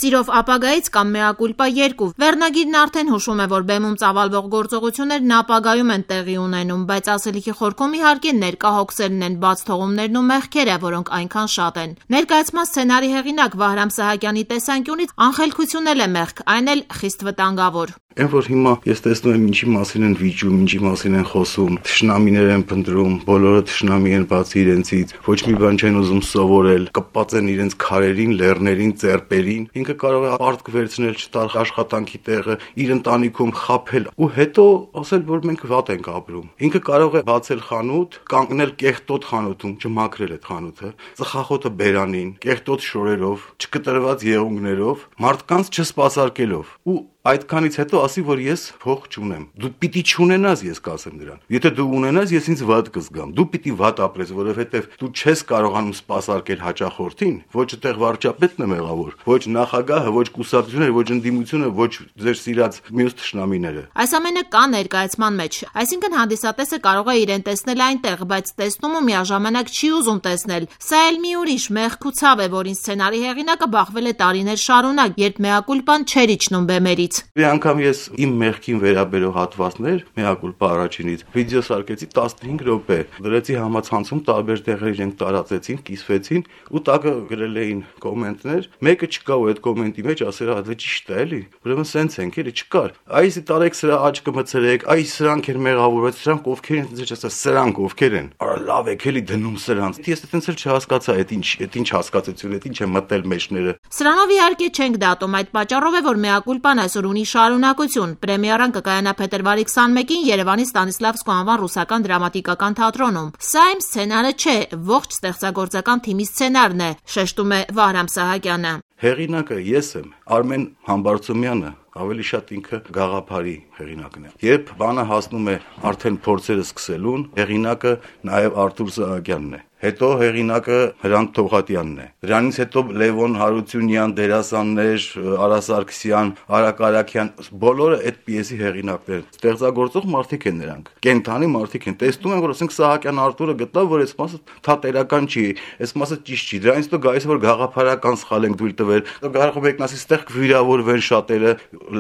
Սիրով ապագայից կամ Mea culpa 2 վերնագիրն արդեն հուշում է, որ բեմում ծավալվող գործողություններն ապագայում են տեղի ունենում, բայց ասելիքի խորքում իհարկե ներկա հոգսերն են, բաց թողումներն ու մեղքերը, որոնք այնքան շատ են։ Ներկայացման սցենարի հեղինակ Վահրամ Սահակյանի տեսանկյունից անխելքությունն էլ է մեղք, այն էլ խիստ վտանգավոր։ Այն որ հիմա ես տեսնում եմ ինչի մասին են վիճում, ինչի մասին են խոսում, թշնամիներ են փնտրում, բոլորը թշնամի են բացի իրենցից, ոչ մի բան չեն ուզում սովորել, կպած են իրենց քարերին, լեռներին, ծերպերին, ինքը կարող է արտք վերցնել, չտալ աշխատանքի տեղը, իր ընտանիքում խաբել ու հետո ասել, որ մենք վատ ենք ապրում։ Ինքը կարող է բացել խանութ, կանգնել կեղտոտ խանութում, չմաքրել այդ խանութը, ծխախոտը բերանին, կեղտոտ շորերով, չկտրված եղունգներով, մարդկանց չսպասարկելով ու այդքանից հետո ասի, որ ես փող չունեմ։ Դու պիտի չունենաս, ես կասեմ դրան։ Եթե դու ունենաս, ես ինձ վատ կզգամ։ Դու պիտի վատ ապրես, որովհետև դու չես կարողանում սպասարկել հաճախորդին, ոչ այդտեղ վարչապետն է մեղավոր, ոչ նախագահը, ոչ կուսակցությունը, ոչ ընդդիմությունը, ոչ ձեր սիրած մյուս թշնամիները։ Այս ամենը կա ներկայացման մեջ, այսինքն հանդիսատեսը կարող է իրեն տեսնել այնտեղ, բայց տեսնում ու միաժամանակ չի ուզում տեսնել։ Սա էլ մի ուրիշ մեղք ու ցավ է, որին սցենարի հեղինակը բախվել է տարիներ շարունակ, երբ Mea culpan չէր իջնում բեմերից։ Մի անգամ ես իմ մեղքին վերաբերող հատվածներ Mea culpa առաջինից վիդեո սարքեցի 15 րոպե, դրեցի համացանցում տարբեր տեղեր իրենք տարածեցին, կիսվեցին ու տակը գրել էին կոմենտներ, մեկը չկա ու այդ կոմենտի մեջ ասել է դա ճիշտ է էլի, ուրեմն սենց ենք էլի չկար, այսի տարեք սրա աչքը մցրեք, այս սրանք են մեղավորված, սրանք ովքեր են, ես ասա սրանք ովքեր են, արա լավ եք էլի դնում սրանց, ես այդպես էլ չհասկացա, այդ ինչ հասկացություն, այդ ինչ է մտել մեջները։ Սրանով իհարկե չենք դատում, այդ պատճառով է, որ Mea culpan այսօր ունի շարունակություն։ Պրեմիերան կկայանա փետրվարի 21-ին Երևանի Ստանիսլավսկու անվան ռուսական դրամատիկական թատրոնում։ Սա իմ սցենարը չէ, ողջ ստեղծագործական թիմի սցենարն է, շեշտում է Վահրամ Սահակյանը։ Հեղինակը ես եմ, Արմեն Համբարձումյանը, ավելի շատ ինքը գաղափարի հեղինակն է։ Երբ բանը հասնում է արդեն փորձերը սկսելուն, հեղինակը նաև Արթուր Սահակյանն է։ Հետո հեղինակը Հրանտ Թողատյանն է։ Դրանից հետո Լևոն Հարությունյան, դերասաններ, Արա Սարգսյան, Արա Կարաքյան, բոլորը այդ պիեսի հեղինակներ են։ Ստեղծագործող մարդիկ են նրանք։ Կենթանի մարդիկ են։ Տեսնում են, որ ասենք Սահակյան Արտուրը գտավ, որ այս մասը թատերական չի, այս մասը ճիշտ չի։ Դրանից հետո գալիս է որ գաղափարական սխալ ենք դույլ տվել։ Կարող եք ասի, ստեղ կվիրավորվեն շատերը,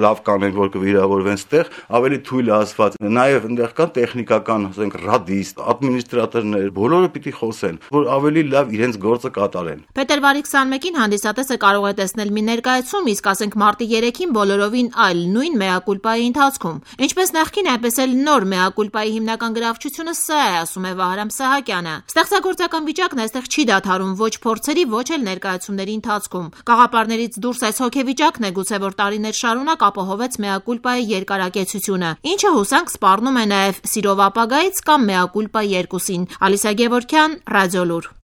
լավ կանենք, որ կվիրավորվեն ստեղ, ավելի թույլ ասված։ Նաև այնտեղ կան տեխնիկական, ասենք ռադիստ, ադմինիստրատորներ, բոլորը պիտի խոսեն, որ ավելի լավ իրենց գործը կատարեն։ Փետրվարի 21-ին հանդիսատեսը կարող է տեսնել մի ներկայացում, իսկ ասենք մարտի 3-ին բոլորովին այլ, նույն Mea culpa-ի ընթացքում։ Ինչպես նախկին, այնպես էլ նոր Mea culpa-ի հիմնական գրավչությունը սա է, ասում է Վահրամ Սահակյանը։ Ստեղծագործական վիճակն այստեղ չի դադարում ոչ փորձերի, ոչ էլ ներկայացումների ընթացքում։ Գաղափարներից դուրս այս հոգեվիճակն է գուցե որ տարիներ շարունակ ապահովեց Mea culpa-ի երկարակեցությունը, ինչը հուսանք սպառնում է նաև Սիրով ապագայից կամ Mea culpa 2-ին։ Ալիսա Գևորգյան, Ռադիոլուր։